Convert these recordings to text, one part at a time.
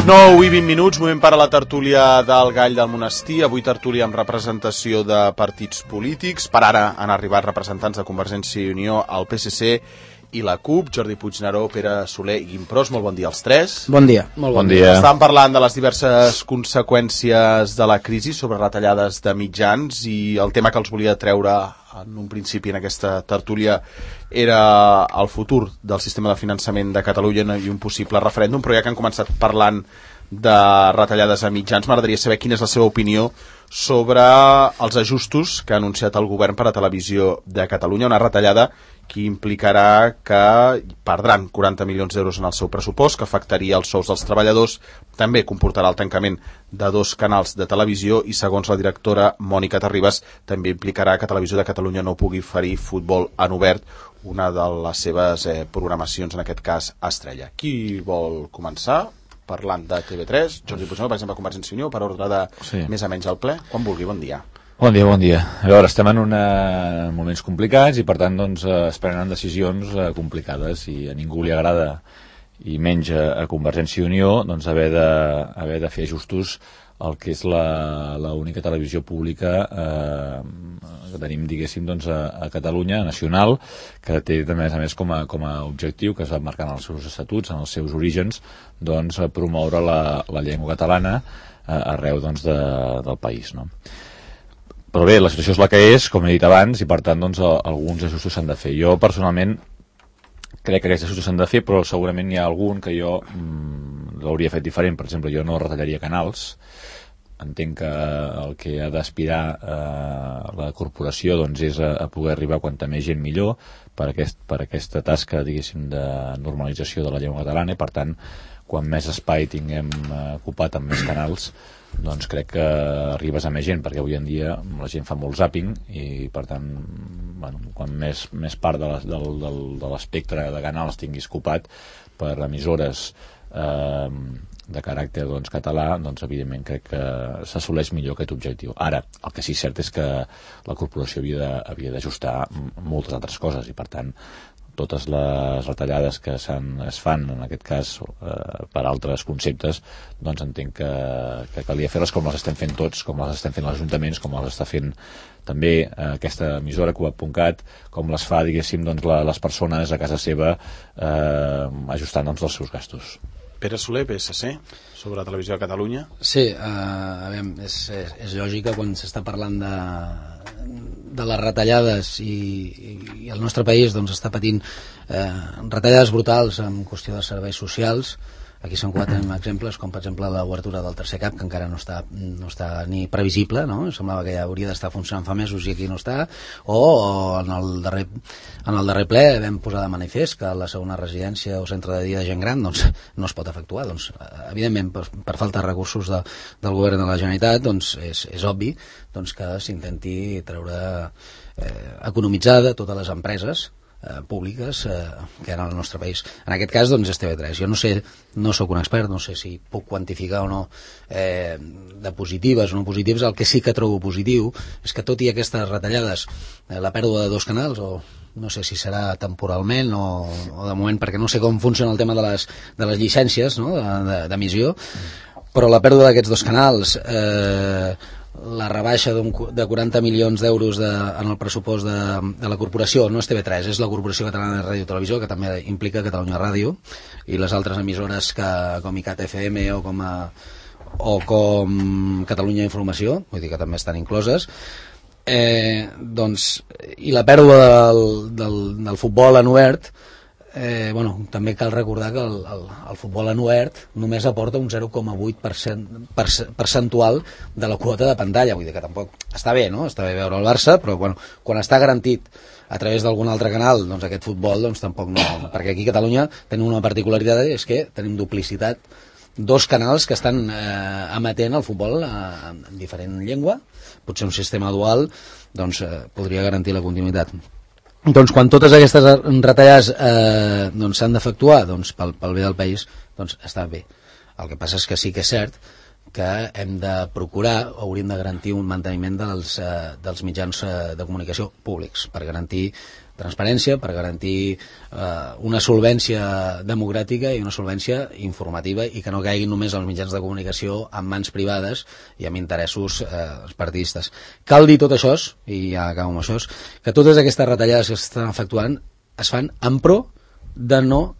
Les 9:20, moment per a la tertúlia del Gall del Monestir. Avui tertúlia amb representació de partits polítics. Per ara han arribat representants de Convergència i Unió, el PSC i la CUP, Jordi Puigneró, Pere Soler i Guim Pros. Molt bon dia als tres. Bon dia. Molt bon dia. Estàvem parlant de les diverses conseqüències de la crisi sobre retallades de mitjans i el tema que els volia treure en un principi en aquesta tertúlia era el futur del sistema de finançament de Catalunya i un possible referèndum, però ja que han començat parlant de retallades a mitjans, m'agradaria saber quina és la seva opinió sobre els ajustos que ha anunciat el govern per a Televisió de Catalunya, una retallada que implicarà que perdran 40 milions d'euros en el seu pressupost, que afectaria els sous dels treballadors, també comportarà el tancament de 2 canals de televisió i, segons la directora Mònica Terribas, també implicarà que Televisió de Catalunya no pugui oferir futbol en obert, una de les seves programacions, en aquest cas, estrella. Qui vol començar? Parlant de TV3, Jordi Puigneró, per exemple, Convergència i Unió, per ordre de més o menys al ple. Quan vulgui, bon dia. Bon dia, bon dia. A veure, estem en moments complicats i, per tant, doncs, es prenen decisions complicades i a ningú li agrada, i menys a Convergència i Unió, doncs, haver de fer ajustos al que és l'única televisió pública que tenim, diguéssim, doncs, a Catalunya, nacional, que té, a més com a objectiu, que es va marcar en els seus estatuts, en els seus orígens, doncs, promoure la llengua catalana arreu, doncs, del país, no? Però bé, la situació és la que és, com he dit abans, i per tant, doncs, alguns ajustos s'han de fer. Jo, personalment, crec que aquests ajustos s'han de fer, però segurament hi ha algun que jo l'hauria fet diferent. Per exemple, jo no retallaria canals. Entenc que el que ha d'aspirar la corporació, doncs, és a poder arribar quanta més gent millor per aquesta tasca, diguéssim, de normalització de la llengua catalana, i per tant, quan més espai tinguem ocupat amb més canals, doncs crec que arribes a més gent, perquè avui en dia la gent fa molt zàping i, per tant, bueno, quan més part de l'espectre de canals tinguis ocupat per emissores de caràcter, doncs, català, doncs, evidentment crec que s'assoleix millor aquest objectiu. Ara, el que sí és cert és que la corporació havia d'ajustar moltes altres coses i, per tant, totes les retallades que es fan, en aquest cas, per altres conceptes, doncs entenc que calia fer-les com les estem fent tots, com les estem fent els ajuntaments, com les està fent també aquesta emissora Cugat.cat, com les fa, diguéssim, doncs, les persones a casa seva, ajustant, doncs, els seus gastos. Pere Soler, PSC, sobre la Televisió de Catalunya. Sí, a veure, és lògic que quan s'està parlant de les retallades i el nostre país, doncs, està patint retallades brutals en qüestió de serveis socials. Aquí s'enquadren exemples com, per exemple, l'obertura del tercer cap, que encara no està ni previsible, no? Semblava que ja hauria d'estar funcionant fa mesos i aquí no està. O en el darrer ple vam posar de manifest que la segona residència o centre de dia de gent gran, doncs, no es pot efectuar. Doncs, evidentment, per falta de recursos del govern de la Generalitat, doncs, és obvi, doncs, que s'intenti economitzar de totes les empreses públiques que hi ha al nostre país. En aquest cas, doncs, és TV3. Jo no soc un expert, no sé si puc quantificar o no de positives o no positives. El que sí que trobo positiu és que, tot i aquestes retallades, la pèrdua de 2 canals, o no sé si serà temporalment o de moment, perquè no sé com funciona el tema de les llicències, no? d'emissió, però la pèrdua d'aquests 2 canals, la rebaixa de 40 milions d'euros en el pressupost de la corporació, no és TV3, és la Corporació Catalana de Ràdio i Televisió, que també implica Catalunya Ràdio, i les altres emissores com ICAT FM o com Catalunya Informació, vull dir que també estan incloses. Doncs, i la pèrdua del futbol en obert, també cal recordar que el futbol en obert només aporta un 0,8% percentual de la quota de pantalla, vull dir que tampoc està bé, no? Està bé veure el Barça, però quan està garantit a través d'algun altre canal, doncs aquest futbol, doncs tampoc no, perquè aquí a Catalunya tenim una particularitat, és que tenim duplicitat, 2 canals que estan emetent el futbol en diferent llengua. Potser un sistema dual, doncs, podria garantir la continuïtat. Doncs quan totes aquestes retallades s'han d'efectuar, doncs pel bé del país, doncs està bé. El que passa és que sí que és cert que hem de procurar, o hauríem de garantir un manteniment dels mitjans de comunicació públics, per garantir transparència, per garantir una solvència democràtica i una solvència informativa, i que no caiguin només els mitjans de comunicació en mans privades i amb interessos partidistes. Cal dir tot això, i ja acabo amb això, que totes aquestes retallades que s'estan efectuant es fan en pro de no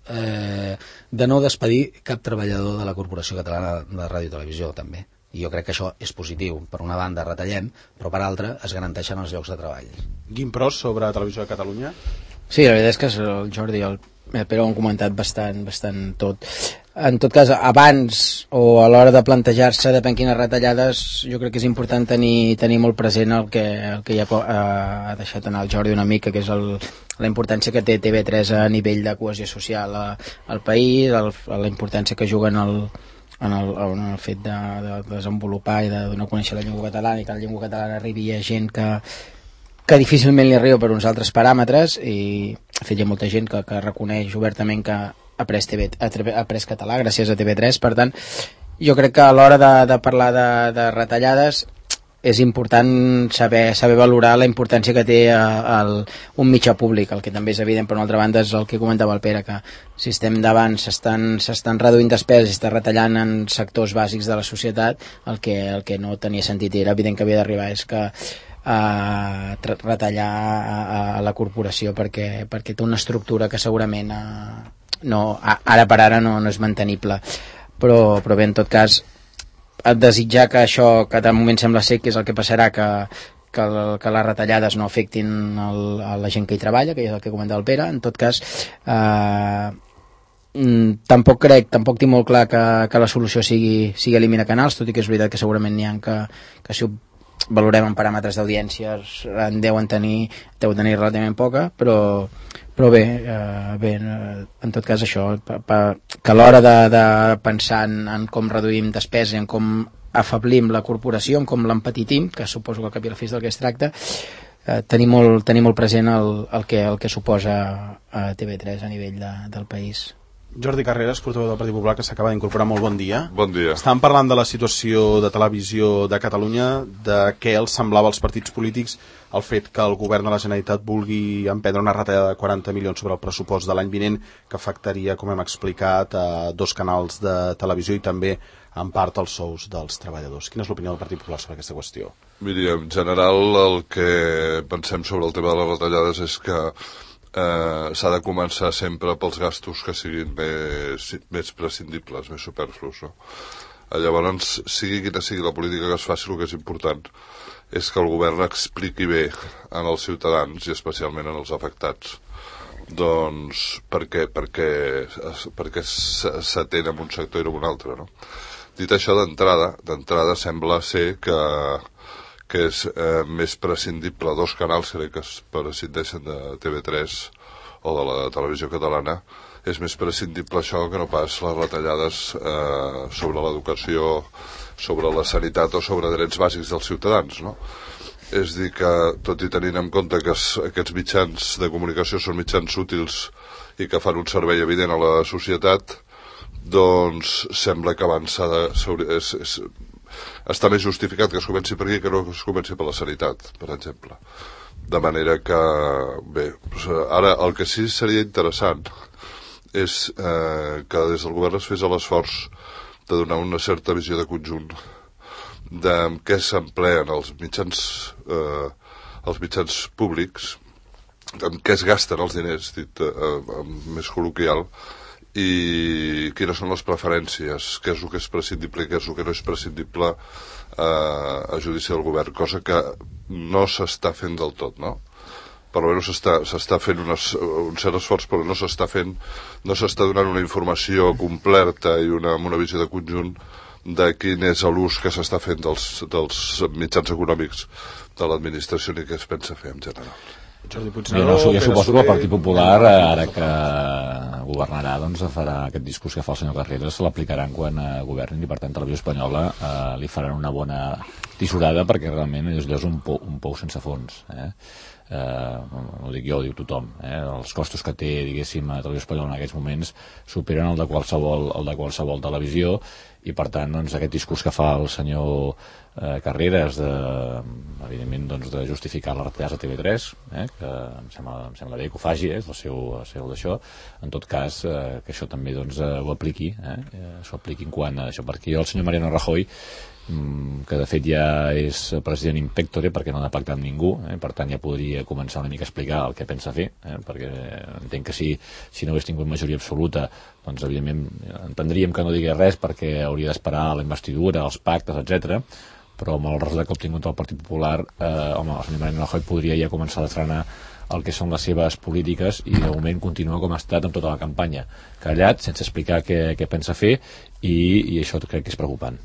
despedir cap treballador de la Corporació Catalana de Ràdio i Televisió, també. I jo crec que això és positiu. Per una banda retallem, però per altra es garanteixen els llocs de treball. Guim Pros, sobre Televisió de Catalunya. Sí, la veritat és que el Jordi i el Pere ho han comentat bastant tot. En tot cas, abans o a l'hora de plantejar-se depèn quines retallades, jo crec que és important tenir molt present el que ja ha deixat anar el Jordi una mica, que és la importància que té TV3 a nivell de cohesió social al país, la importància que juguen en el fet de desenvolupar i de donar a conèixer la llengua catalana, i que la llengua catalana arribi a gent que difícilment li arriba per uns altres paràmetres, i de fet hi ha molta gent que reconeix obertament que ha après català gràcies a TV3. Per tant, jo crec que a l'hora de parlar de retallades és important saber valorar la importància que té un mitjà públic. El que també és evident, per una altra banda, és el que comentava el Pere, que si estem davant s'estan reduint despeses i s'està retallant en sectors bàsics de la societat, el que no tenia sentit, i era evident que havia d'arribar, és que retallar a la corporació perquè té una estructura que segurament ara per ara no és mantenible. Però bé, en tot cas, desitjar que això, que de moment sembla ser que és el que passarà, que les retallades no afectin a la gent que hi treballa, que és el que comentava el Pere. En tot cas, tampoc tinc molt clar que la solució sigui eliminar canals, tot i que és veritat que segurament n'hi ha que si ho valorem en paràmetres d'audiències en deuen tenir relativament poca, però bé, en tot cas això, que a l'hora de pensar en com reduïm despesa, en com afablim la corporació, en com l'empetitim, que suposo que al cap i a la fi és del que es tracta, tenir molt present el que suposa TV3 a nivell del país. Jordi Carreras, portaveu del Partit Popular, que s'acaba d'incorporar. Molt bon dia. Bon dia. Estàvem parlant de la situació de Televisió de Catalunya, de què els semblava als partits polítics el fet que el govern de la Generalitat vulgui emprendre una retallada de 40 milions sobre el pressupost de l'any vinent, que afectaria, com hem explicat, a 2 canals de televisió i també en part els sous dels treballadors. Quina és l'opinió del Partit Popular sobre aquesta qüestió? Miri, en general el que pensem sobre el tema de les retallades és que s'ha de començar sempre pels gastos que siguin més prescindibles, més superflus, no? Llavors, sigui quina sigui la política que es faci, el que és important és que el govern expliqui bé en els ciutadans i especialment en els afectats doncs per què s'atén en un sector i en un altre, no? Dit això, d'entrada sembla ser que és més prescindible 2 canals que es prescindeixen de TV3 o de la Televisió Catalana, és més prescindible això que no pas les retallades sobre l'educació, sobre la sanitat o sobre drets bàsics dels ciutadans, no? És dir que, tot i tenint en compte que aquests mitjans de comunicació són mitjans útils i que fan un servei evident a la societat, doncs sembla que abans està més justificat que es comenci per aquí que no que es comenci per la sanitat, per exemple. De manera que, bé, ara el que sí seria interessant és que des del govern es fes l'esforç de donar una certa visió de conjunt de què s'empleen els mitjans públics, en què es gasten els diners, dit més col·loquial, i quines són les preferències, què és el que és prescindible i què és el que no és prescindible a judici del govern, cosa que no s'està fent del tot, no? Per almenys s'està fent un cert esforç, però no s'està donant una informació completa i amb una visió de conjunt de quin és l'ús que s'està fent dels mitjans econòmics de l'administració i què es pensa fer en general. Jordi Jo suposo que el Partit Popular, ara que governarà, doncs farà aquest discurs que fa el senyor Carreras, l'aplicaran quan governin, i per tant Televisió Espanyola li faran una bona tisorada perquè realment allò és un pou sense fons, no ho dic jo, ho diu tothom, els costos que té, diguéssim, a Televisió Espanyola en aquests moments superen el de qualsevol televisió, i per tant doncs, aquest discurs que fa el senyor Carreras evidentment doncs, de justificar les retallades a TV3, que em sembla bé que ho faci, és el seu d'això, en tot cas que això també doncs, ho apliqui, s'ho apliqui en quant a això, perquè el senyor Mariano Rajoy, que de fet ja és president in pectore perquè no ha de pactar amb ningú, per tant ja podria començar una mica a explicar el que pensa fer, perquè entenc que si no hagués tingut majoria absoluta doncs evidentment entendríem que no digués res perquè hauria d'esperar la investidura, els pactes, etc. Però amb el resultat que ha obtingut el Partit Popular, el senyor Mariano Rajoy podria ja començar a frenar el que són les seves polítiques i de moment continua com ha estat en tota la campanya, callat, sense explicar què pensa fer, i això crec que és preocupant.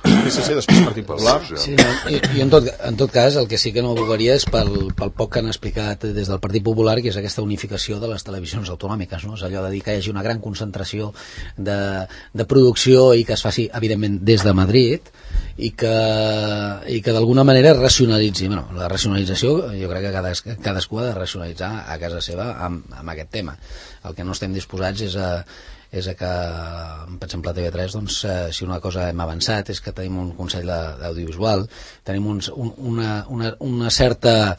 PSC, després Partit Popular. Sí, no, i en tot cas el que sí que no abogaria és pel poc que han explicat des del Partit Popular, que és aquesta unificació de les televisions autonòmiques, no? És allò de dir que hi hagi una gran concentració de producció i que es faci evidentment des de Madrid i que d'alguna manera racionalitzi. Bueno, la racionalització jo crec que cadascú ha de racionalitzar a casa seva amb aquest tema. El que no estem disposats és a que, per exemple, a TV3, doncs, si una cosa hem avançat és que tenim un Consell d'Audiovisual, tenim una certa,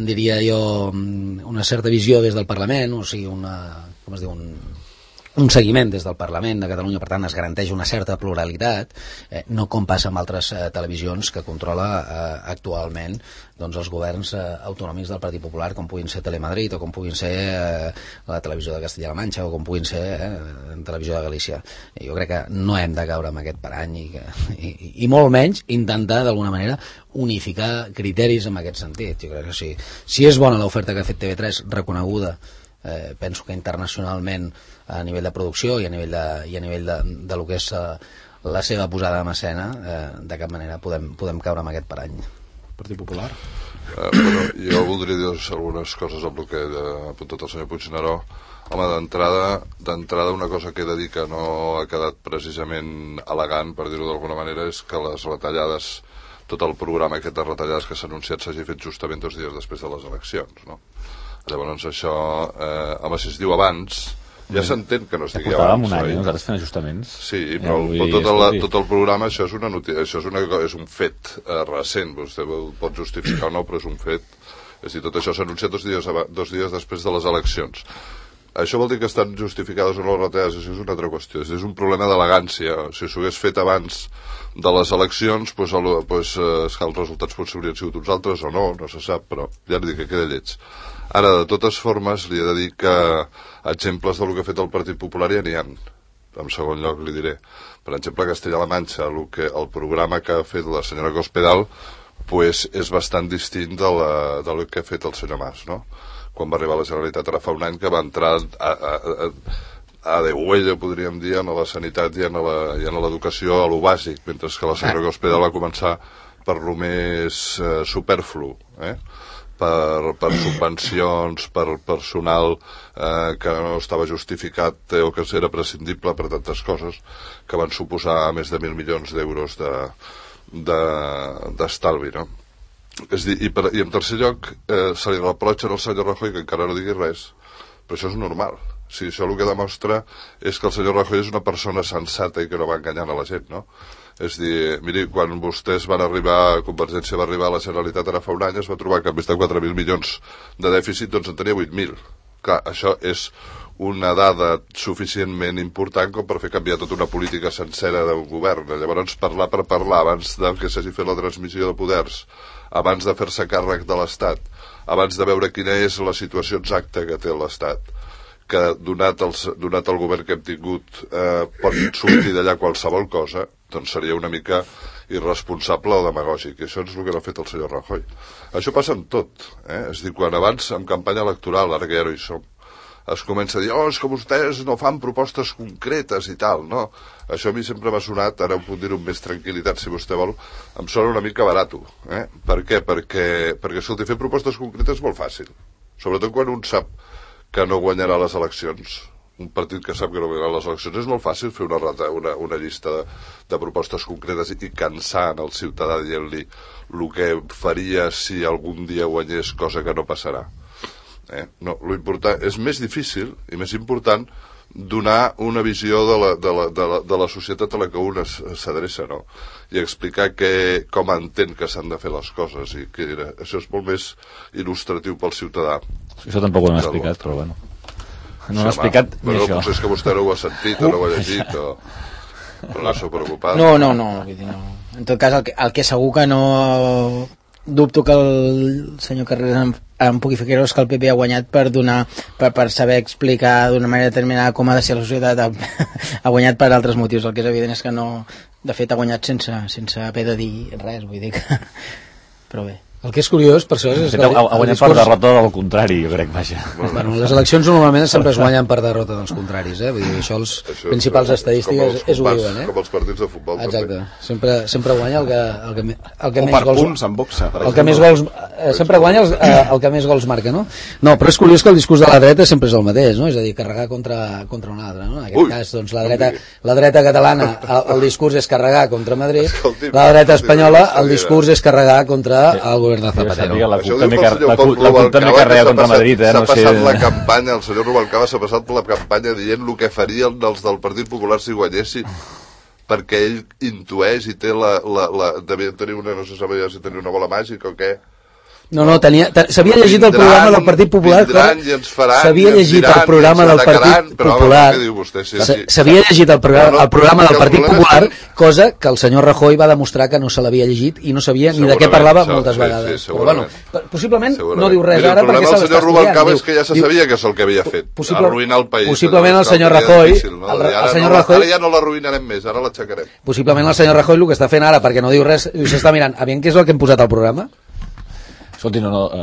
diria jo, una certa visió des del Parlament, o sigui, com es diu, un seguiment des del Parlament de Catalunya, per tant es garanteix una certa pluralitat, no com passa amb altres televisions que controla actualment doncs, els governs autonòmics del Partit Popular, com puguin ser Telemadrid o com puguin ser la televisió de Castilla-La Manxa o com puguin ser Televisió de Galícia. Jo crec que no hem de caure en aquest parany i molt menys intentar d'alguna manera unificar criteris en aquest sentit. Jo crec que sí. Si és bona l'oferta que ha fet TV3, reconeguda, penso que internacionalment a nivell de producció i a nivell de lo que és la seva posada en escena, de cap manera podem caure en aquest parany. Partit Popular. Bueno, jo voldria dir algunes coses amb el que ha apuntat el senyor Puigneró. Home, d'entrada una cosa que he de dir que no ha quedat precisament elegant, per dir-ho d'alguna manera, és que les retallades, tot el programa aquest de retallades que s'ha anunciat s'hagi fet justament 2 dies després de les eleccions, no? Llavors això, home, si es diu abans, ja s'entén que no es digui abans. Portàvem un any, nosaltres fent ajustaments. Sí, però tot el programa, això és una notícia, això és un fet recent, vostè pot justificar o no, però és un fet. És a dir, tot això s'ha anunciat 2 dies després de les eleccions. Això vol dir que estan justificades o no les retallades, això és una altra qüestió. És un problema d'elegància. Si s'ho hagués fet abans de les eleccions, doncs els resultats potser haurien sigut uns altres o no se sap, però ja li dic que queda lleig. Ara, de totes formes, li he de dir que exemples del que ha fet el Partit Popular ja n'hi ha. En segon lloc li diré. Per exemple, a Castella-La Manxa, el programa que ha fet la senyora Cospedal és bastant distint del que ha fet el senyor Mas, no? Quan va arribar a la Generalitat ara fa un any, que va entrar a degüella, podríem dir, en la sanitat i en l'educació, a lo bàsic, mentre que la senyora Cospedal va començar per lo més superflu, per subvencions, per personal que no estava justificat o que era prescindible per tantes coses que van suposar més de 1.000 milions d'euros d'estalvi, no? És dir, i en tercer lloc se li reprotxa al senyor Rajoy que encara no digui res, però això és normal. Sí, això el que demostra és que el senyor Rajoy és una persona sensata i que no va enganyant a la gent, no? És dir, miri, quan vostès van arribar, Convergència va arribar a la Generalitat ara fa un any, es va trobar que en vez de 4.000 milions de dèficit, doncs en tenia 8.000. Clar, això és una dada suficientment important com per fer canviar tota una política sencera d'un govern. Llavors, parlar per parlar, abans que s'hagi fet la transmissió de poders, abans de fer-se càrrec de l'Estat, abans de veure quina és la situació exacta que té l'Estat, que donat el govern que hem tingut pot sortir d'allà qualsevol cosa, doncs seria una mica irresponsable o demagògic, i això és el que no ha fet el senyor Rajoy. Això passa amb tot, és dir, quan abans, en campanya electoral, ara que ja no hi som, es comença a dir, és que vostès no fan propostes concretes i tal, no? Això a mi sempre m'ha sonat, ara ho puc dir amb més tranquil·litat si vostè vol, em sona una mica barato. Per què? Perquè escolti, fer propostes concretes és molt fàcil, sobretot quan un sap que no guanyarà les eleccions. un partit que sap que no guanyarà les eleccions, és molt fàcil fer una llista de propostes concretes i cansar el ciutadà dient-li el que faria si algun dia guanyés, cosa que no passarà. No, lo important és més difícil i més important donar una visió de la societat a la que un s'adreça, no? I explicar com entén que s'han de fer les coses, i que això és molt més il·lustratiu pel ciutadà. Això tampoc ho hem explicat, però bueno. No ho he explicat ni això. Potser és que vostè no ho ha sentit o no ho ha llegit, però no s'ho preocupat. No. En tot cas, el que segur que no dubto que el senyor Carreras em pugui fer creure és que el PP ha guanyat per saber explicar d'una manera determinada com ha de ser la societat. Ha guanyat per altres motius. El que és evident és que no, de fet ha guanyat sense haver de dir res, vull dir que... Però bé. El que és curiós, per això, és que... Ha guanyat per derrota del contrari, jo crec, vaja. Bueno, les eleccions normalment sempre es guanyen per derrota dels contraris, Vull dir, això els principals estadístiques és ho diuen, Com els partits de futbol. Exacte. Sempre guanya el que més més gols... punts en boxa, per el que més gols... Sempre guanya el que més gols marca, no? No, però és curiós que el discurs de la dreta sempre és el mateix, no? És a dir, carregar contra un altre, no? En aquest cas, doncs, la dreta catalana, el discurs és carregar contra Madrid, la dreta espanyola, el discurs és carregar contra el govern de Zapatero. La CUP també carrega contra Madrid, S'ha passat la campanya, el senyor Rubalcaba s'ha passat per la campanya dient el que farien els del Partit Popular si guanyessin, perquè ell intueix i té devia tenir no se sabia si tenia una bola màgica o què. No, s'havia llegit el programa del Partit Popular, s'havia llegit el programa del Partit Popular, s'havia llegit el programa del Partit Popular, cosa que el senyor Rajoy va demostrar que no se l'havia llegit i no sabia ni de què parlava moltes vegades. Però bueno, possiblement no diu res ara perquè se l'està estudiant. El senyor Rubalcaba és que ja se sabia que és el que havia fet, arruïnar el país. Possiblement el senyor Rajoy... Ara ja no l'arruïnarem més, ara l'aixecarem. Possiblement el senyor Rajoy el que està fent ara, perquè no diu res, s'està mirant, aviam què és el que hem posat al programa? Escolti, molt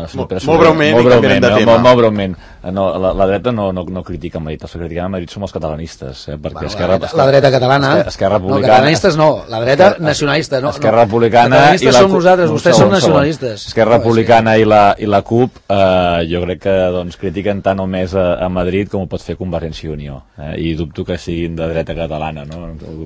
breument. La dreta no critica Madrid, els que critiquen Madrid som els catalanistes, perquè la dreta catalana, Esquerra Republicana... No, catalanistes no, la dreta nacionalista, no. Esquerra Republicana... Catalanistes som nosaltres, vostès són nacionalistes. Esquerra Republicana i la CUP, jo crec que critiquen tant o més a Madrid com ho pot fer Convergència i Unió, i dubto que siguin de dreta catalana, no? No,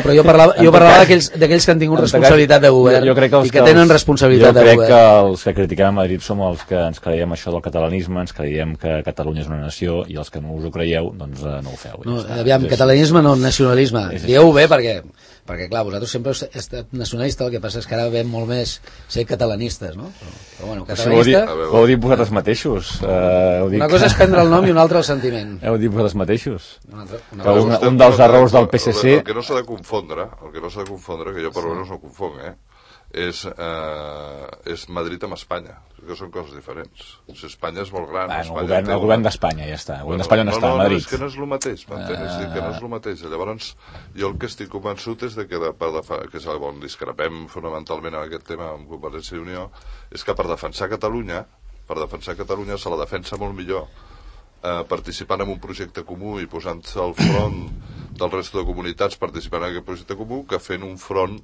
però jo parlava d'aquells que han tingut responsabilitat de govern i que tenen responsabilitat de govern. Jo crec que els que critiquem a Madrid som els que ens creiem això del catalanisme, ens creiem que Catalunya és una nació, i els que no us ho creieu, doncs no ho feu. Aviam, catalanisme no, nacionalisme. Dieu-ho bé perquè clar, vosaltres sempre heu estat nacionalista, el que passa és que ara veiem molt més ser catalanistes, no? Però bueno, catalanista... Ho heu dit vosaltres mateixos. Una cosa és prendre el nom i una altra el sentiment. Heu dit vosaltres mateixos. Un dels errors del PSC... El que no s'ha de confondre, que jo per almenys no confonc, és Madrid amb Espanya, que són coses diferents. Espanya és molt gran. El govern d'Espanya ja està. El govern d'Espanya on està, a Madrid. És que no és el mateix, m'entens? Que no és el mateix. Llavors, jo el que estic convençut és que és on discrepem fonamentalment en aquest tema amb Convergència i Unió, és que per defensar Catalunya se la defensa molt millor participant en un projecte comú i posant-se al front del resto de comunitats participant en aquest projecte comú, que fent un front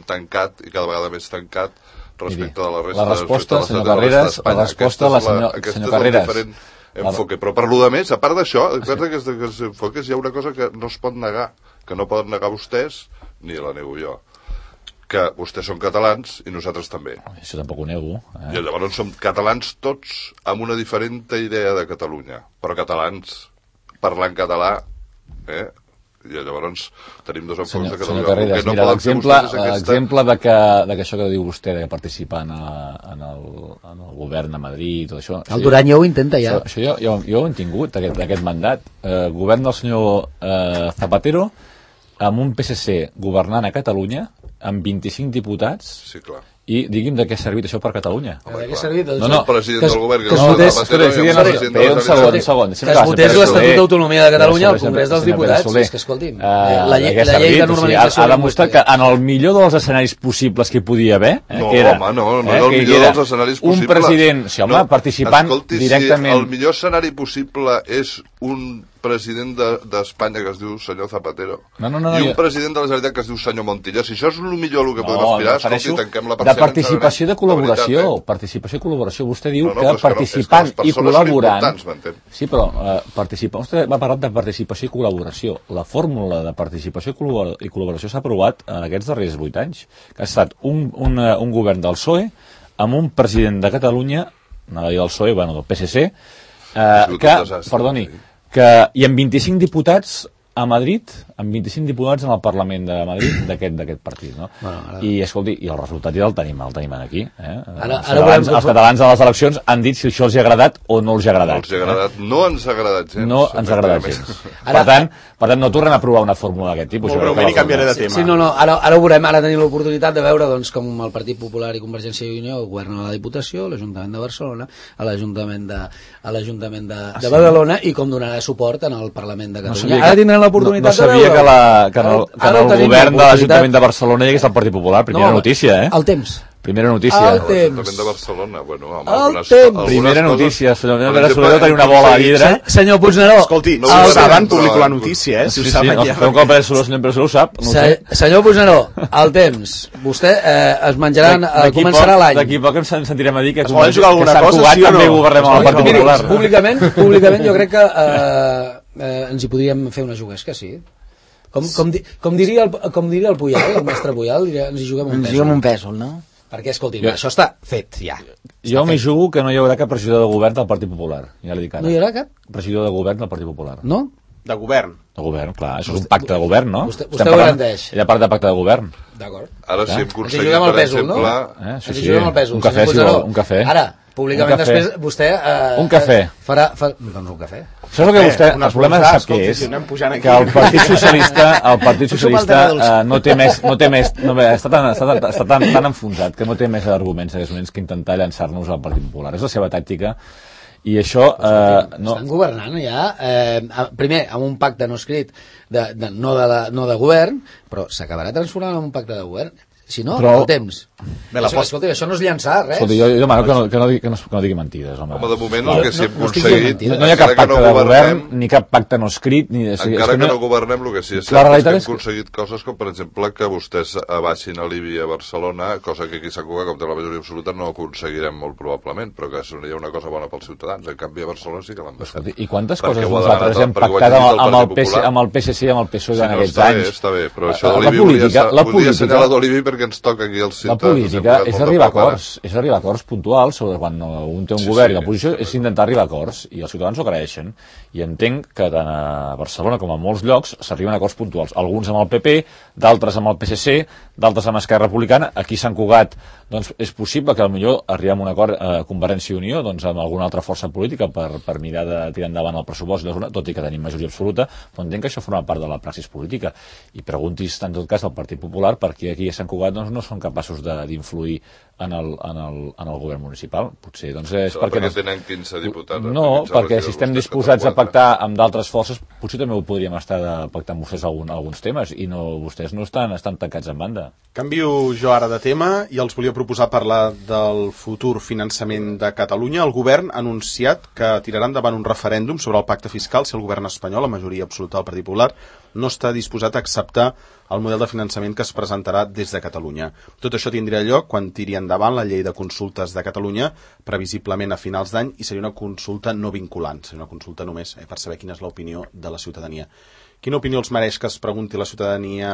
tancat i cada vegada més tancat respecte de la resta la resposta, senyor Carreras, la resposta de la senyor Carreras. Enfoque. Però per lo de més, a part d'això, a part d'aquests enfoques, hi ha una cosa que no es pot negar, que no poden negar vostès, ni la nego jo, que vostès són catalans i nosaltres també. Això tampoc ho nego. I llavors som catalans tots amb una diferent idea de Catalunya, però catalans parlant català, i llavors tenim dos enfocs de Catalunya. Senyor Carreras, mira, l'exemple de que això que diu vostè de participar en el govern a Madrid, tot això... El Duran ja ho intenta, ja. Això jo ho he tingut, aquest mandat. Govern del senyor Zapatero, amb un PSC governant a Catalunya, amb 25 diputats, sí, clar. I digui'm de què ha servit això per Catalunya. De què ha servit? No, el president del govern... Un segon. Que es votés l'Estatut d'Autonomia de Catalunya al Congrés dels Diputats. És que, escolti'm, la llei de normalització... Ha demostrat que en el millor dels escenaris possibles que hi podia haver... No, home, no és el millor dels escenaris possibles. Un president, sí, home, participant directament... Si el millor escenari possible és un president d'Espanya que es diu senyor Zapatero i un president de la Generalitat que es diu senyor Montilla, si això és el millor que podem aspirar, escolti, tanquem la persiana. participació de col·laboració. Participació i col·laboració. Vostè diu que participant i col·laborant... Sí, però vostè va parlar de participació i col·laboració. La fórmula de participació i col·laboració s'ha aprovat en aquests darrers 8 anys, que ha estat un govern del PSOE amb un president de Catalunya, anava a dir del PSOE, bueno, del PSC, i amb 25 diputats a Madrid, amb 25 diputats en el Parlament de Madrid d'aquest partit, no? I, escolti, i el resultat ja el tenim aquí. Els catalans a les eleccions han dit si això els ha agradat o no els ha agradat. No ens ha agradat gens. No ens ha agradat gens. Per tant, no tornem a provar una fórmula d'aquest tipus. Molt breument i canviaré de tema. Sí, ara ho veurem, ara tenim l'oportunitat de veure doncs, com el Partit Popular i Convergència i Unió governen a la Diputació, a l'Ajuntament de Barcelona, a l'Ajuntament de Badalona, i com donarà suport en el Parlament de Catalunya. Ara tindrem l'oportunitat de veure... No sabia que en el govern de l'Ajuntament de Barcelona hi hagués el Partit Popular. Primera notícia, El temps. Primera notícia. L'Ajuntament de Barcelona, Primera notícia. Senyor Soler tenia una bola a vidre. Senyor Puigneró. Escolti, si ho saben, publico la notícia, si ho saben ja. Un cop senyor ho sap. Senyor Puigneró, el temps. Vostè es menjaran, començarà l'any. D'aquí poc ens sentirem a dir que Sant Cugat també governem amb el Partit Popular. Públicament jo crec que ens hi podríem fer una juguesca, sí. Com diria el Puyal, el mestre Puyal, ens hi juguem un pèsol, no? Perquè, escolti, això està fet, ja. Jo m'hi jugo que no hi haurà cap regidor de govern del Partit Popular, ja l'he dit ara. No hi haurà cap? Regidor de govern del Partit Popular. No? De govern. De govern, clar, això és un pacte de govern, no? Vostè ho garanteix. Ella parla de pacte de govern. D'acord. Ara si hem aconseguit, per exemple... Ens hi juguem el pèsol. Un cafè, si vol, un cafè. Ara, públicament després, vostè... Un cafè. Doncs un cafè. Això és el que vostè... El problema sap què és? Que el Partit Socialista no té més... Està tan enfonsat que no té més arguments que intentar llançar-nos al Partit Popular. És la seva tàctica. I això... Estan governant ja, primer amb un pacte no escrit no de govern, però s'acabarà transformant en un pacte de govern. Si no, el temps. Escolta, això no és llançar res. Escolta, jo demano que no digui mentides, home. De moment el que sí hem aconseguit... No hi ha cap pacte de govern, ni cap pacte no escrit... Encara que no governem, el que sí és cert és que hem aconseguit coses com, per exemple, que vostès abaixin a l'IBI a Barcelona, cosa que aquí s'ha Cugat, com té la majoria absoluta, no aconseguirem molt probablement, però que seria una cosa bona pels ciutadans. En canvi, a Barcelona sí que l'han baixat. I quantes coses nosaltres hem pactat amb el PSC i amb el PSOE en aquests anys? Està bé, però això de l'IBI podria assenyalar de l'IBI perquè ens toca aquí als ciutadans. La política és arribar a acords puntuals sobre quan un té un govern i la posició és intentar arribar a acords i els ciutadans ho agraeixen i entenc que tant a Barcelona com a molts llocs s'arriben a acords puntuals, alguns amb el PP, d'altres amb el PSC, d'altres amb Esquerra Republicana. Aquí a Sant Cugat doncs és possible que potser arribem a un acord a Convergència i Unió doncs amb alguna altra força política per mirar de tirar endavant el pressupost, tot i que tenim majoria absoluta, però entenc que això forma part de la praxis política i preguntis en tot cas al Partit Popular perquè aquí a Sant Cugat doncs, no són capaços d'influir en el govern municipal. Potser doncs és perquè tenen 15 diputats. No, perquè si estem disposats a pactar amb d'altres forces, potser també ho podríem estar de pactar amb vostès alguns temes i vostès no estan tancats en banda. Canvio jo ara de tema i els volia proposar parlar del futur finançament de Catalunya. El govern ha anunciat que tirarà endavant un referèndum sobre el pacte fiscal si el govern espanyol, la majoria absoluta del Partit Popular, no està disposat a acceptar el model de finançament que es presentarà des de Catalunya. Tot això tindria lloc quan tiri endavant la llei de consultes de Catalunya, previsiblement a finals d'any, i seria una consulta no vinculant, seria una consulta només per saber quina és l'opinió de la ciutadania. Quina opinió els mereix que es pregunti la ciutadania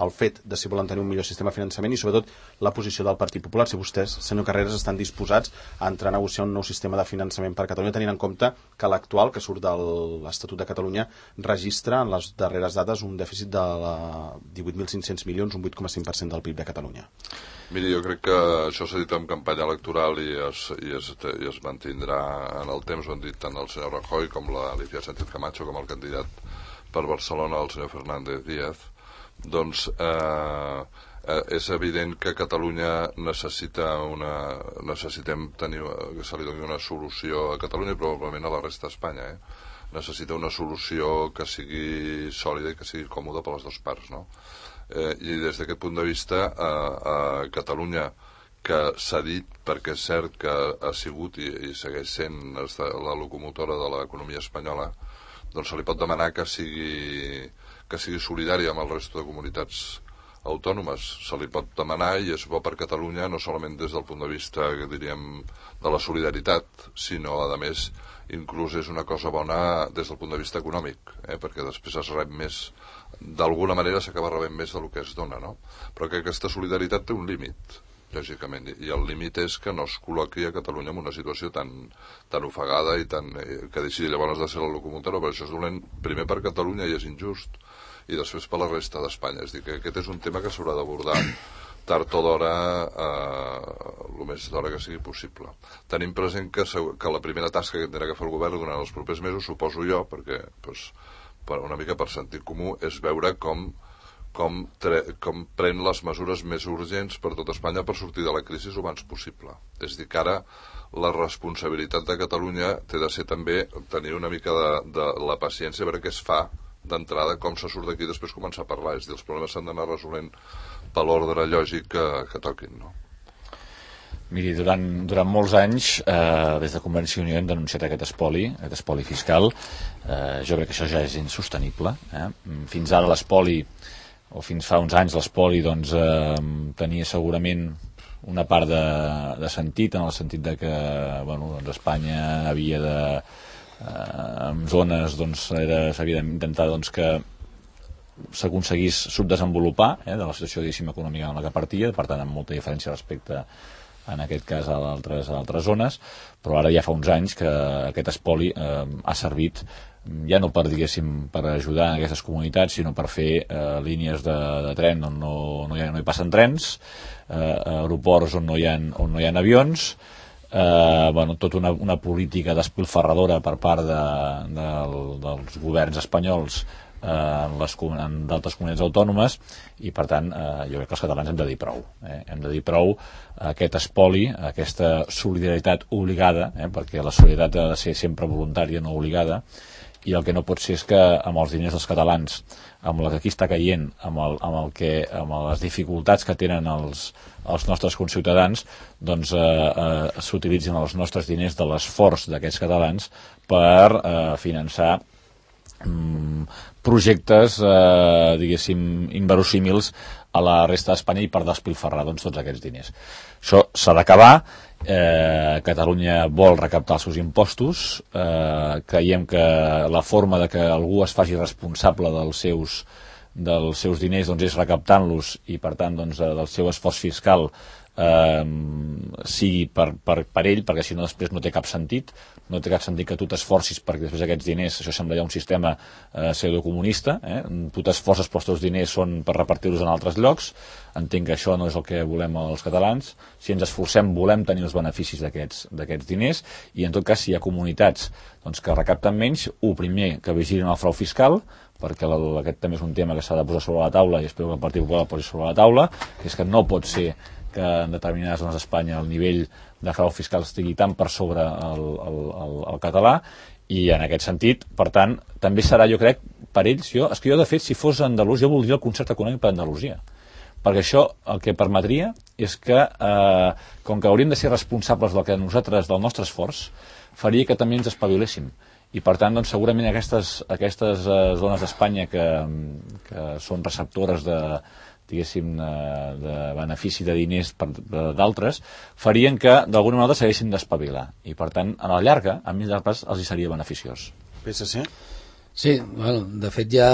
el fet de si volen tenir un millor sistema de finançament i sobretot la posició del Partit Popular, si vostès, senyor Carreras, estan disposats a entrar a negociar un nou sistema de finançament per Catalunya, tenint en compte que l'actual, que surt de l'Estatut de Catalunya, registra en les darreres dades un dèficit de 18.500 milions, un 8,5% del PIB de Catalunya. Miri, jo crec que això s'ha dit en campanya electoral i es mantindrà en el temps, ho han dit tant el senyor Rajoy com l'Alicia Sánchez Camacho com el candidat per Barcelona, el senyor Fernández Díaz. Doncs és evident que Catalunya necessitem tenir que se li doni una solució a Catalunya i probablement a la resta d'Espanya. Necessita una solució que sigui sòlida i que sigui còmoda per les dues parts, no? I des d'aquest punt de vista a Catalunya, que s'ha dit perquè és cert que ha sigut i segueix sent la locomotora de l'economia espanyola, doncs se li pot demanar que sigui solidària amb el resto de comunitats autònomes. Se li pot demanar i és bo per Catalunya, no solament des del punt de vista, diríem, de la solidaritat, sinó, a més, inclús és una cosa bona des del punt de vista econòmic, perquè després es rep més, d'alguna manera s'acaba rebent més del que es dona, no? Però que aquesta solidaritat té un límit, lògicament, i el límit és que no es col·loqui a Catalunya en una situació tan ofegada i que deixi llavors de ser la locomotora, però això és dolent primer per Catalunya i és injust, i després per la resta d'Espanya. És a dir, que aquest és un tema que s'haurà d'abordar tard o d'hora, el més d'hora que sigui possible. Tenim present que la primera tasca que tindrà que fer el govern durant els propers mesos, suposo jo, perquè una mica per sentit comú, és veure com pren les mesures més urgents per tot Espanya per sortir de la crisi el abans possible. És a dir, que ara la responsabilitat de Catalunya té de ser també tenir una mica de la paciència a veure què es fa d'entrada, com se surt d'aquí i després començar a parlar. És a dir, els problemes s'han d'anar resolent per l'ordre lògic que toquin, no? Miri, durant molts anys, des de Convergència i Unió hem denunciat aquest espoli fiscal. Jo crec que això ja és insostenible. Fins ara l'espoli, o fins fa uns anys l'espoli, doncs, tenia segurament una part de sentit, en el sentit de que doncs Espanya havia de... en zones doncs, s'havia d'intentar doncs, que s'aconseguís subdesenvolupar de la situació econòmica en la que partia, per tant amb molta diferència respecte en aquest cas a altres zones, però ara ja fa uns anys que aquest espoli ha servit ja no per, per ajudar en aquestes comunitats, sinó per fer línies de tren on no hi passen trens, aeroports on no hi ha avions, tota una política despilfarradora per part dels governs espanyols en d'altres comunitats autònomes, i per tant jo crec que els catalans hem de dir prou. Hem de dir prou a aquest espoli, a aquesta solidaritat obligada, perquè la solidaritat ha de ser sempre voluntària, no obligada, i el que no pot ser és que amb els diners dels catalans, amb la que aquí està caient, amb les dificultats que tenen els nostres conciutadans, doncs s'utilitzin els nostres diners de l'esforç d'aquests catalans per finançar projectes, inverosímils a la resta d'Espanya i per despilfarrar tots aquests diners. Això s'ha d'acabar. Catalunya vol recaptar els seus impostos. Creiem que la forma de que algú es faci responsable dels seus diners doncs, és recaptant-los i per tant del seu esforç fiscal sigui per ell, perquè si no després no té cap sentit que tu t'esforcis perquè després aquests diners, això sembla ja un sistema pseudocomunista, tu t'esforces però els teus diners són per repartir-los en altres llocs. Entenc que això no és el que volem els catalans. Si ens esforcem volem tenir els beneficis d'aquests diners, i en tot cas si hi ha comunitats que recapten menys, primer que vigilin el frau fiscal, perquè aquest també és un tema que s'ha de posar sobre la taula i espero que el Partit Popular el posi sobre la taula, que és que no pot ser que en determinades zones d'Espanya el nivell de frau fiscal estigui tan per sobre el català, i en aquest sentit, per tant, també serà, jo crec, per ells, jo de fet, si fos andalús, jo voldria el concert econòmic per Andalusia, perquè això el que permetria és que, com que hauríem de ser responsables del nostre esforç, faria que també ens espaviléssim. I per tant, doncs, segurament aquestes zones d'Espanya que són receptores de benefici de diners d'altres, farien que d'alguna manera s'haguessin d'espavilar, i per tant a la llarga, a mitjà termini, els hi seria beneficiós. PSC? Sí, de fet ja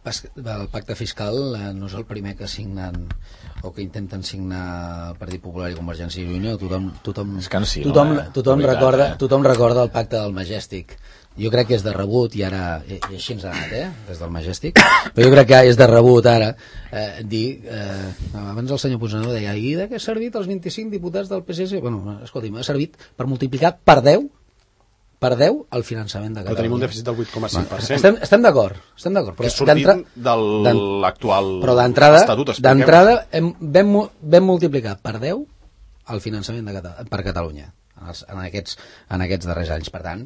el pacte fiscal no és el primer que signen o que intenten signar el Partit Popular i Convergència i Unió. Tothom recorda el pacte del Majestic. Jo crec que és de rebut, i ara i així ens ha anat, des del Majestic, però jo crec que és de rebut ara dir, abans el senyor Puigneró deia, i de què ha servit els 25 diputats del PSC? Bueno, escolti'm, ha servit per multiplicar per 10 el finançament de Catalunya. Però tenim un dèficit del 8,5%. Estem d'acord. Que és sortint de l'actual estatut. Però d'entrada vam multiplicar per 10 el finançament per Catalunya en aquests darrers anys. Per tant,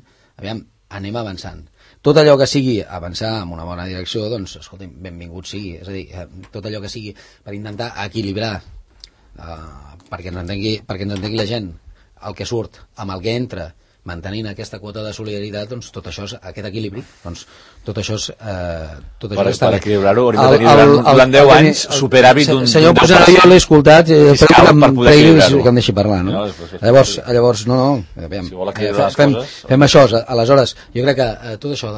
anem avançant. Tot allò que sigui avançar en una bona direcció, doncs, escolti'm, benvingut sigui. És a dir, tot allò que sigui per intentar equilibrar, perquè ens entengui la gent, el que surt amb el que entra, mantenint aquesta quota de solidaritat, doncs tot això, aquest equilibri, doncs tot això per està bé. equilibrar-ho hauríem de tenir durant 10 anys superàvit d'un... Senyor Puigneró, jo l'he escoltat, fiscal per poder equilibrar-ho. que em deixi parlar, no? Llavors, aviam, si vol equilibrar les coses... Fem això, aleshores, jo crec que tot això,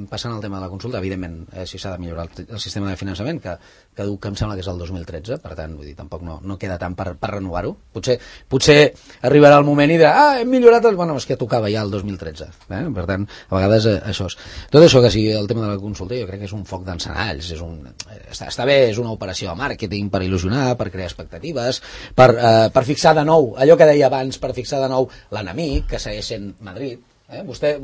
passant al tema de la consulta, evidentment, si s'ha de millorar el sistema de finançament, que em sembla que és el 2013, per tant, vull dir, tampoc no queda tant per renovar-ho. Potser arribarà el moment i dirà, hem millorat, bueno, és que tocava ja el 2013, per tant, a vegades això és... Tot això que sigui el tema de la consulta, jo crec que és un foc d'encenalls, està bé, és una operació de màrqueting per il·lusionar, per crear expectatives, per fixar de nou, allò que deia abans, per fixar de nou l'enemic, que segueix sent Madrid. Vostè,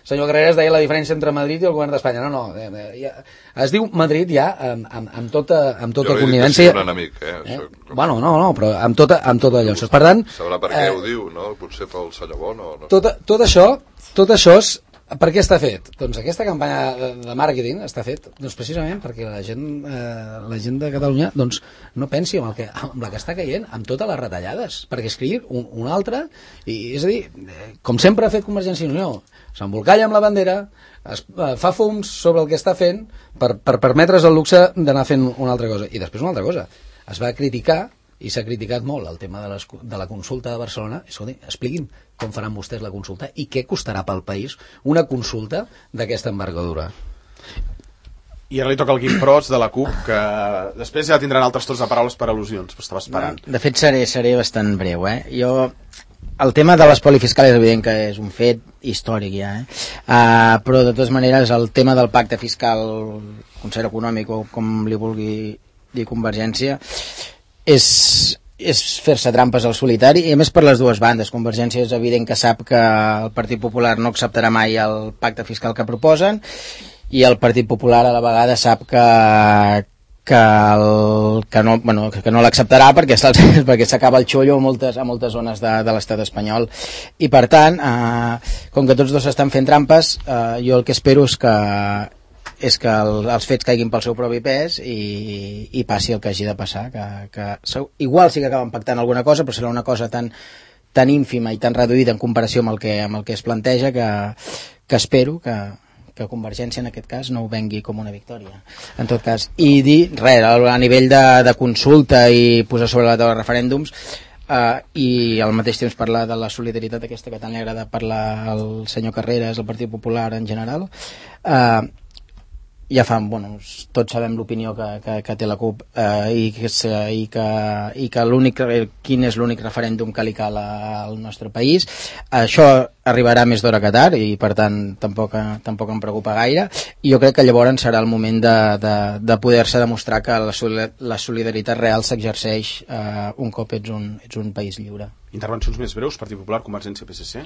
senyor Carreras, deia la diferència entre Madrid i el govern d'Espanya. No, es diu Madrid ja amb tota connivència. Jo no he dit que sigui un enemic, Bueno, no, però amb tot allò. Per tant... Sabrà per què ho diu, no? Potser pel senyor Bono. No? Tot això és... Per què està fet? Doncs aquesta campanya de màrqueting està fet precisament perquè la gent de Catalunya no pensi en la que està caient, amb totes les retallades, perquè escrigui un altre, és a dir, com sempre ha fet Convergència i Unió, s'embolcalla amb la bandera, fa fums sobre el que està fent per permetre's el luxe d'anar fent una altra cosa. I després una altra cosa, es va criticar, i s'ha criticat molt el tema de la consulta de Barcelona. Escolti, expliquin com faran vostès la consulta i què costarà pel país una consulta d'aquesta envergadura. I ara li toca el Guim Pros de la CUP, que després ja tindran altres torns de paraules per al·lusions, però estava esperant. De fet, seré bastant breu. El tema de l'espoli fiscal és evident que és un fet històric ja, però de totes maneres el tema del pacte fiscal, concert econòmic o com li vulgui dir Convergència, és fer-se trampes al solitari, i a més per les dues bandes. Convergència és evident que sap que el Partit Popular no acceptarà mai el pacte fiscal que proposen, i el Partit Popular a la vegada sap que no l'acceptarà perquè s'acaba el xollo a moltes zones de l'estat espanyol, i per tant com que tots dos estan fent trampes, jo el que espero és que els fets caiguin pel seu propi pes i passi el que hagi de passar, que igual sí que acaben pactant alguna cosa, però serà una cosa tan ínfima i tan reduïda en comparació amb el que es planteja, que espero que Convergència en aquest cas no ho vengui com una victòria, en tot cas. I dir res, a nivell de consulta i posar sobre la taula referèndums, i al mateix temps parlar de la solidaritat aquesta que tant li agrada parlar al senyor Carreras, al Partit Popular en general, ja fa, tots sabem l'opinió que té la CUP, i que quin és l'únic referèndum que li cal al nostre país. Això arribarà més d'hora que tard, i per tant tampoc em preocupa gaire, i jo crec que llavors serà el moment de poder-se demostrar que la solidaritat real s'exerceix un cop ets un país lliure. Intervencions més breus, Partit Popular, Convergència, PSC?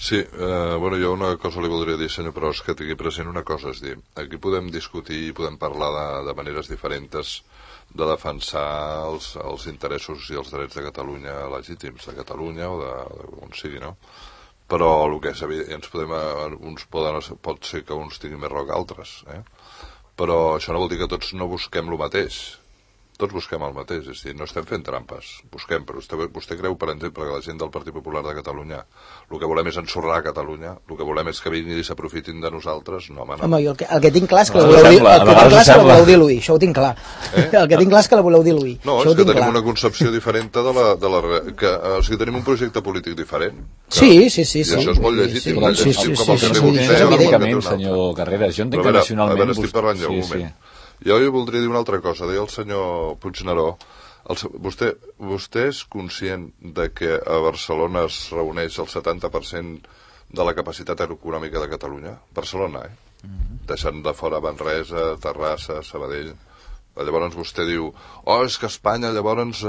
Sí, jo una cosa li voldria dir, senyor Pros, que tingui present una cosa, és dir, aquí podem discutir i podem parlar de maneres diferents de defensar els interessos i els drets de Catalunya legítims, de Catalunya o d'on sigui, no? Però el que és evident, pot ser que uns tinguin més raó que altres, però això no vol dir que tots no busquem el mateix. Tots busquem el mateix, és a dir, no estem fent trampes, busquem, però vostè creu, per exemple, que la gent del Partit Popular de Catalunya el que volem és ensorrar Catalunya, el que volem és que vinguin i s'aprofitin de nosaltres? No, home, no. Home, el que tinc clar és que la voleu diluir, això ho tinc clar. El que tinc clar és que la voleu diluir. No, és que tenim una concepció diferent o sigui, tenim un projecte polític diferent. Sí. I això és molt legítim, com el que té vostè. Senyor Carreras, jo entenc que nacionalment... A veure, estic parlant ja un moment. Jo voldria dir una altra cosa. Deia el senyor Puigneró, vostè és conscient de que a Barcelona es reuneix el 70% de la capacitat econòmica de Catalunya? Barcelona, deixant de fora Manresa, Terrassa, Sabadell. Llavors vostè diu, és que Espanya, llavors,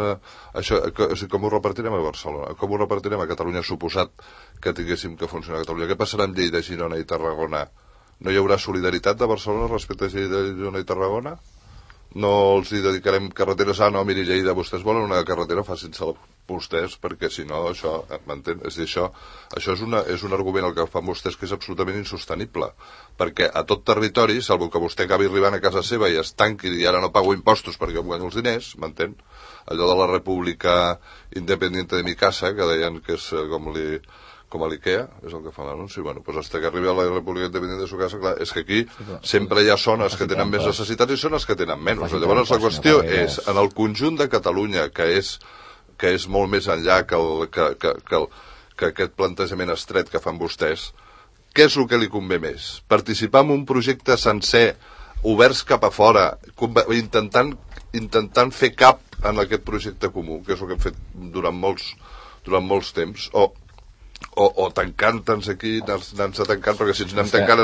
com ho repartirem a Barcelona? Com ho repartirem a Catalunya, suposat que tinguéssim que funcionar a Catalunya? Què passarà amb Lleida, Girona i Tarragona? No hi haurà solidaritat de Barcelona respecte a Lleida, Girona i Tarragona? No els hi dedicarem carreteres? No, miri, Lleida, vostès volen una carretera, facin-se vostès, perquè si no, això, m'entén? És a dir, això és un argument el que fan vostès que és absolutament insostenible, perquè a tot territori, salvo que vostè acabi arribant a casa seva i es tanqui i ara no pago impostos perquè em guanyo els diners, m'entén? Allò de la República Independiente de mi casa, que deien que és com a l'IKEA, és el que fa l'anunci. Bueno, doncs hasta que arribi a la República Independiente de su casa, clar, és que aquí sempre hi ha zones que tenen més necessitats i zones que tenen menys. Llavors la qüestió és, en el conjunt de Catalunya, que és molt més enllà que aquest plantejament estret que fan vostès, què és el que li convé més? Participar en un projecte sencer, oberts cap a fora, intentant fer cap en aquest projecte comú, que és el que hem fet durant molts temps, o tancant-nos aquí, anar-nos tancant, perquè si ens anem tancant,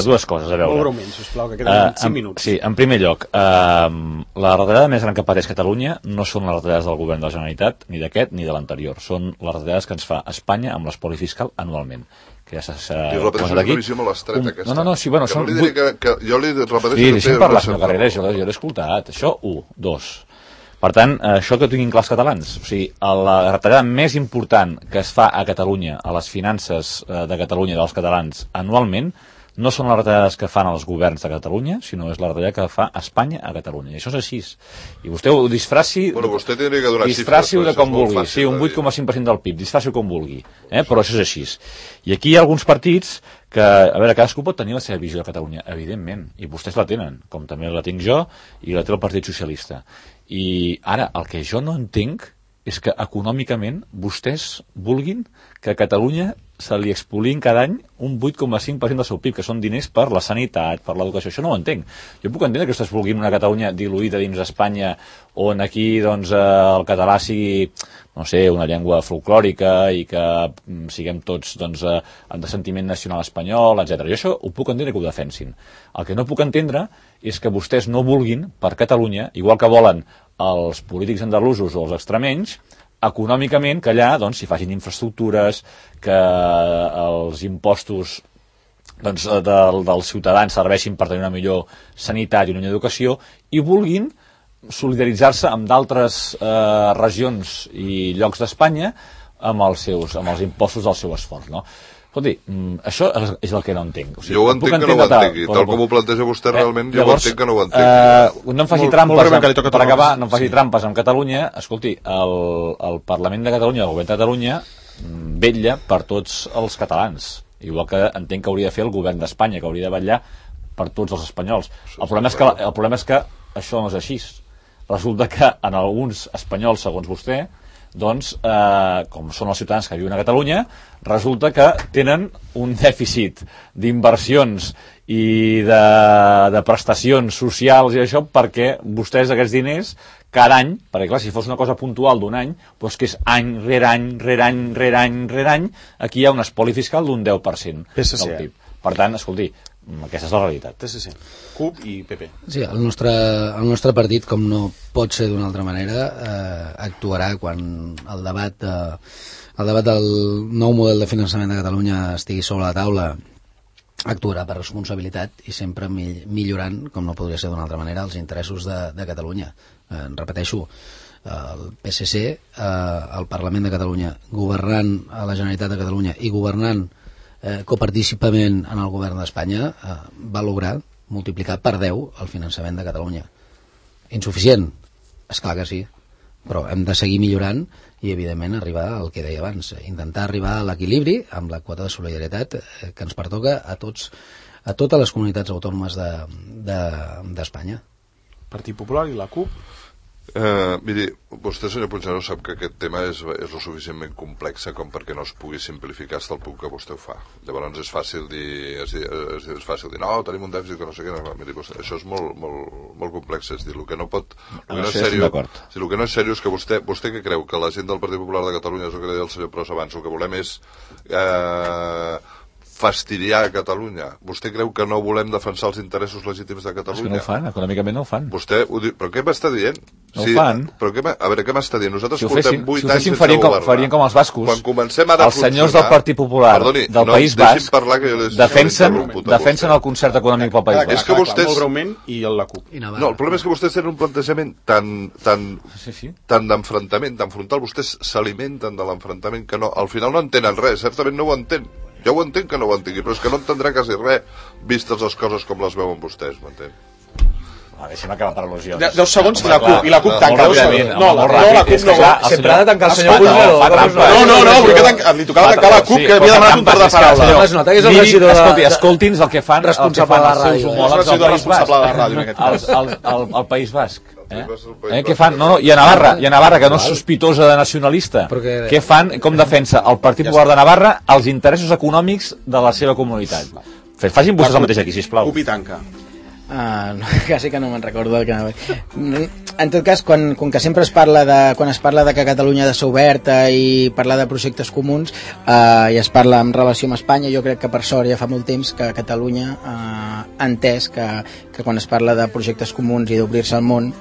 dues coses, a veure. Molt breument, sisplau, que queden 5 minuts. Sí, en primer lloc, la retallada més gran que pateix Catalunya no són les retallades del govern de la Generalitat, ni d'aquest ni de l'anterior, són les retallades que ens fa Espanya amb l'espoli fiscal anualment. Que ja I repeteixo una visió molt estreta, aquesta. No, sí, bueno, jo li repeteixo... Sí, deixa'm parlar, senyor Carreras, jo l'he escoltat. Això, 1. 2. Per tant, això que tinguin clar els catalans, o sigui, la retallada més important que es fa a Catalunya, a les finances de Catalunya dels catalans anualment, no són les retallades que fan els governs de Catalunya, sinó és la retallada que fa Espanya a Catalunya. I això és així. I vostè ho disfraci... Bueno, vostè tindria que donar disfraci-ho de com vulgui. Sí, un 8,5% del PIB, disfraci-ho com vulgui. Però això és així. I aquí hi ha alguns partits que, a veure, cadascú pot tenir la seva visió de Catalunya, evidentment, i vostès la tenen, com també la tinc jo, i la té el Partit Socialista. I ara, el que jo no entenc és que econòmicament vostès vulguin que a Catalunya se li expolin cada any un 8,5% del seu PIB, que són diners per la sanitat, per l'educació. Això no ho entenc. Jo puc entendre que vostès vulguin una Catalunya diluïda dins d'Espanya, on aquí doncs, el català sigui, no sé, una llengua folclòrica i que siguem tots doncs, de sentiment nacional espanyol, etc. Jo això ho puc entendre que ho defensin. El que no puc entendre és que vostès no vulguin per Catalunya, igual que volen els polítics andalusos o els extremenys, econòmicament que allà doncs, s'hi facin infraestructures, que els impostos doncs, dels ciutadans serveixin per tenir una millor sanitat i una millor educació, i vulguin solidaritzar-se amb d'altres regions i llocs d'Espanya amb els impostos del seu esforç, no? Escolti, això és el que no entenc. O sigui, jo ho entenc que no ho entengui. Tal com ho planteja vostè realment, jo ho entenc que no ho entenc. No em faci trampes, per acabar, no em faci trampes amb Catalunya. Escolti, el Parlament de Catalunya, el govern de Catalunya, vetlla per tots els catalans. Igual que entenc que hauria de fer el govern d'Espanya, que hauria de vetllar per tots els espanyols. El problema és que això no és així. Resulta que en alguns espanyols, segons vostè, doncs, com són els ciutadans que viuen a Catalunya, resulta que tenen un dèficit d'inversions i de prestacions socials i això, perquè vostès aquests diners cada any, perquè clar, si fos una cosa puntual d'un any, doncs que és any rere any, rere any, rere any, rere any, aquí hi ha un espoli fiscal d'un 10% del PIB. Per tant, escolti, aquesta és la realitat. PSC, CUP i PP. Sí, el nostre partit, com no pot ser d'una altra manera, actuarà quan el debat del nou model de finançament de Catalunya estigui sobre la taula, actuarà per responsabilitat i sempre millorant, com no podria ser d'una altra manera, els interessos de Catalunya. Repeteixo, el PSC, el Parlament de Catalunya, governant a la Generalitat de Catalunya i governant coparticipament en el govern d'Espanya, va lograr multiplicar per 10 el finançament de Catalunya. Insuficient? Esclar que sí, però hem de seguir millorant i evidentment arribar al que deia abans, intentar arribar a l'equilibri amb la quota de solidaritat que ens pertoca a totes les comunitats autònomes d'Espanya. Partit Popular i la CUP. Miri, vostè, senyor Puigneró, sap que aquest tema és lo suficientment complex com perquè no es pugui simplificar fins al punt que vostè ho fa. Llavors és fàcil dir no, tenim un dèficit que no sé què. No, miri, això és molt complex, és dir, el que no pot... El que no és seriós és que vostè que creu que la gent del Partit Popular de Catalunya, és el que deia el senyor Pros abans, el que volem és fastidiar a Catalunya. Vostè creu que no volem defensar els interessos legítims de Catalunya? És que no ho fan, econòmicament no ho fan. Vostè ho diu, però què m'està dient? No ho fan. Però a veure, què m'està dient? Nosaltres portem 8 anys sense governar. Farien com els bascos. Quan comencem ara a els senyors del Partit Popular del País Basc defensen el concert econòmic pel País Basc. És que vostès... Molt breument i la CUP. No, el problema és que vostès tenen un plantejament tan d'enfrontament, tan frontal. Vostès s'alimenten de l'enfrontament que no, al final no entenen res. Certament no ho entén. Jo ho entenc que no ho entengui, però és que no entendrà quasi res vistes les coses com les veuen vostès, m'entén? Deixa'm acabar per al·lusions. 10 segons i la CUP tanca. No, la CUP no. Sempre ha de tancar el senyor Puigneró. No, li tocava tancar la CUP, que havia demanat un torn de paraula. Es nota que és el regidor de... Escolti'ns el que fan responsable de la ràdio. Al País Basc. Què fan? No, i a Navarra, que no és sospitosa de nacionalista, què fan, com defensa el Partit Popular de Navarra els interessos econòmics de la seva comunitat? Facin vostès el mateix aquí, sisplau. CUP i tanca. Quasi que no me'n recordo del que anava. En tot cas, quan que sempre quan es parla de que Catalunya ha de ser oberta i parlar de projectes comuns, i es parla en relació amb Espanya, jo crec que per sort ja fa molt temps que Catalunya ha entès que quan es parla de projectes comuns i d'obrir-se al món,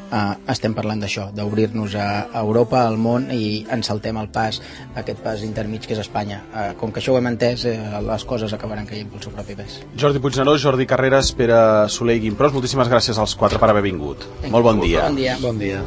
estem parlant d'això, d'obrir-nos a Europa, al món, i ens saltem el pas, aquest pas intermig que és Espanya. Com que això ho hem entès, les coses acabaran caient pel seu propi pes. Jordi Puigneró, Jordi Carreras, Pere Soler i Guim Pros, moltíssimes gràcies als 4 per haver vingut. Molt bon dia. Bon dia. Bon dia.